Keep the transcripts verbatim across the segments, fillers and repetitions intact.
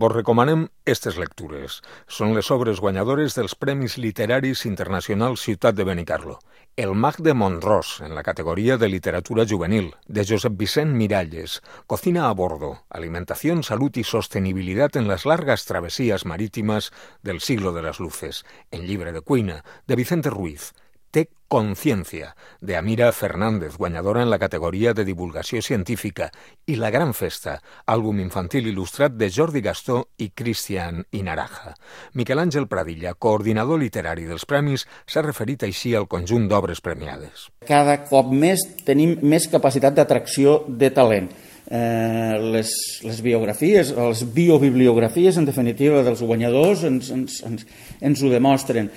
Vos recomanem aquestes lectures. Són les obres guanyadores dels Premis Literaris Internacionals Ciutat de Benicarló. El mag de Mont-ros, en la categoria de literatura juvenil, de Josep Vicent Miralles. Cocina a bordo, alimentación, salud y sostenibilidad en las largas travesías marítimas del siglo de las luces. En llibre de cuina, de Vicente Ruiz. Té Conciencia, de Amira Fernández, guanyadora en la categoria de divulgació científica, i La gran festa, àlbum infantil il·lustrat de Jordi Gastó i Cristian Inaraja. Miquel Àngel Pradilla, coordinador literari dels premis, s'ha referit així al conjunt d'obres premiades. Cada cop més tenim més capacitat d'atracció de talent. Eh, les, les biografies, les biobibliografies, en definitiva, dels guanyadors ens, ens, ens, ens ho demostren.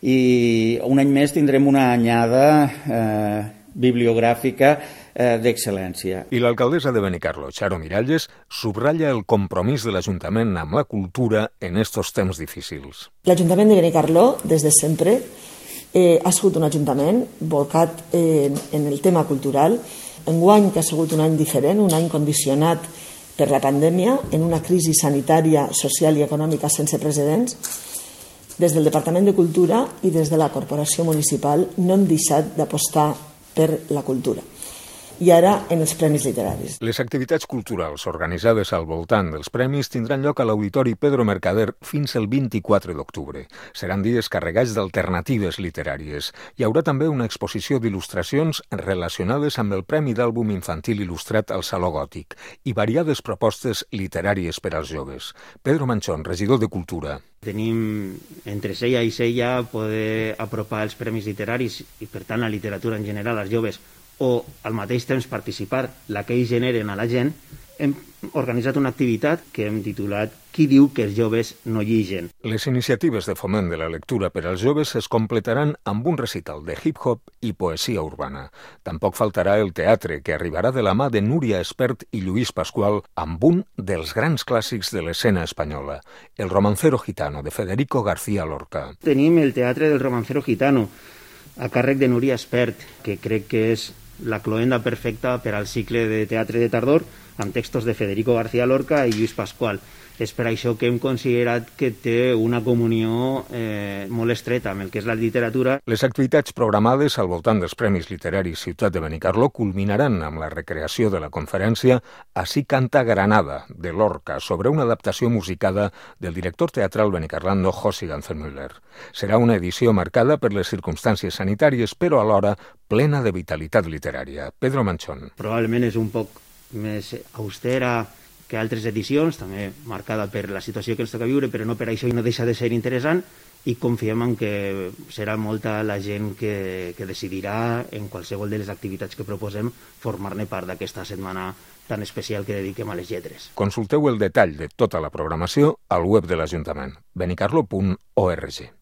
I un any més tindrem una anyada eh, bibliogràfica eh, d'excel·lència. I l'alcaldessa de Benicarló, Charo Miralles, subratlla el compromís de l'Ajuntament amb la cultura en estos temps difícils. L'Ajuntament de Benicarló, des de sempre, eh, ha sigut un ajuntament volcat eh, en el tema cultural. Enguany, que ha sigut un any diferent, un any condicionat per la pandèmia, en una crisi sanitària, social i econòmica sense precedents, des del Departament de Cultura i des de la Corporació Municipal no hem deixat d'apostar per la cultura. I ara en els Premis Literaris. Les activitats culturals organitzades al voltant dels premis tindran lloc a l'Auditori Pedro Mercader fins el vint-i-quatre d'octubre. Seran dies carregats d'alternatives literàries. Hi haurà també una exposició d'il·lustracions relacionades amb el Premi d'Àlbum Infantil Il·lustrat al Saló Gòtic i variades propostes literàries per als joves. Pedro Manchón, regidor de Cultura. Tenim entre sella i sella poder apropar els premis literaris i, per tant, la literatura en general als joves o al mateix temps participar la que ells generen a la gent. Hem organitzat una activitat que hem titulat Qui diu que els joves no lligen? Les iniciatives de foment de la lectura per als joves es completaran amb un recital de hip-hop i poesia urbana. Tampoc faltarà el teatre, que arribarà de la mà de Núria Espert i Lluís Pascual amb un dels grans clàssics de l'escena espanyola, El romancero gitano, de Federico García Lorca. Tenim el Teatre del Romancero Gitano, a càrrec de Núria Espert, que crec que és la cloenda perfecta per al cicle de teatre de tardor, amb textos de Federico García Lorca i Lluís Pascual. És per això que hem considerat que té una comunió eh, molt estreta amb el que és la literatura. Les activitats programades al voltant dels Premis Literaris Ciutat de Benicarló culminaran amb la recreació de la conferència Así canta Granada, de Lorca, sobre una adaptació musicada del director teatral benicarlando José Ganzemüller. Serà una edició marcada per les circumstàncies sanitàries, però alhora plena de vitalitat literària. Pedro Manchón. Probablement és un poc més austera que altres edicions, també marcada per la situació que ens toca viure, però no per això i no deixa de ser interessant, i confiem en que serà molta la gent que, que decidirà en qualsevol de les activitats que proposem formar-ne part d'aquesta setmana tan especial que dediquem a les lletres. Consulteu el detall de tota la programació al web de l'Ajuntament, benicarlo punt org.